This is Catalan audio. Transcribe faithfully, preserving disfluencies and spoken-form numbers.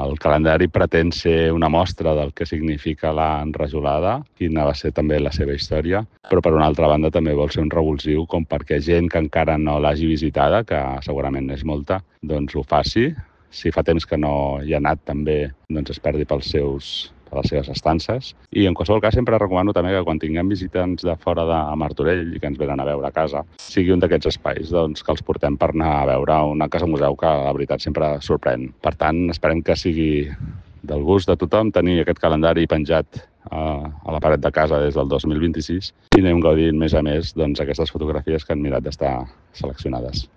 El calendari pretén ser una mostra del que significa l'enrajolada, quina va ser també la seva història, però per una altra banda també vol ser un revulsiu com perquè gent que encara no l'hagi visitada, que segurament és molta, doncs ho faci. Si fa temps que no hi ha anat també, doncs es perdi pels seus per les seves estances. I en qualsevol cas sempre recomano també que quan tinguem visitants de fora de Martorell i que ens venen a veure a casa, sigui un d'aquests espais doncs, que els portem per anar a veure una casa museu que la veritat sempre sorprèn. Per tant, esperem que sigui del gust de tothom tenir aquest calendari penjat a la paret de casa des del dos mil vint-i-sis i anem gaudint més a més doncs, aquestes fotografies que han mirat d'estar seleccionades.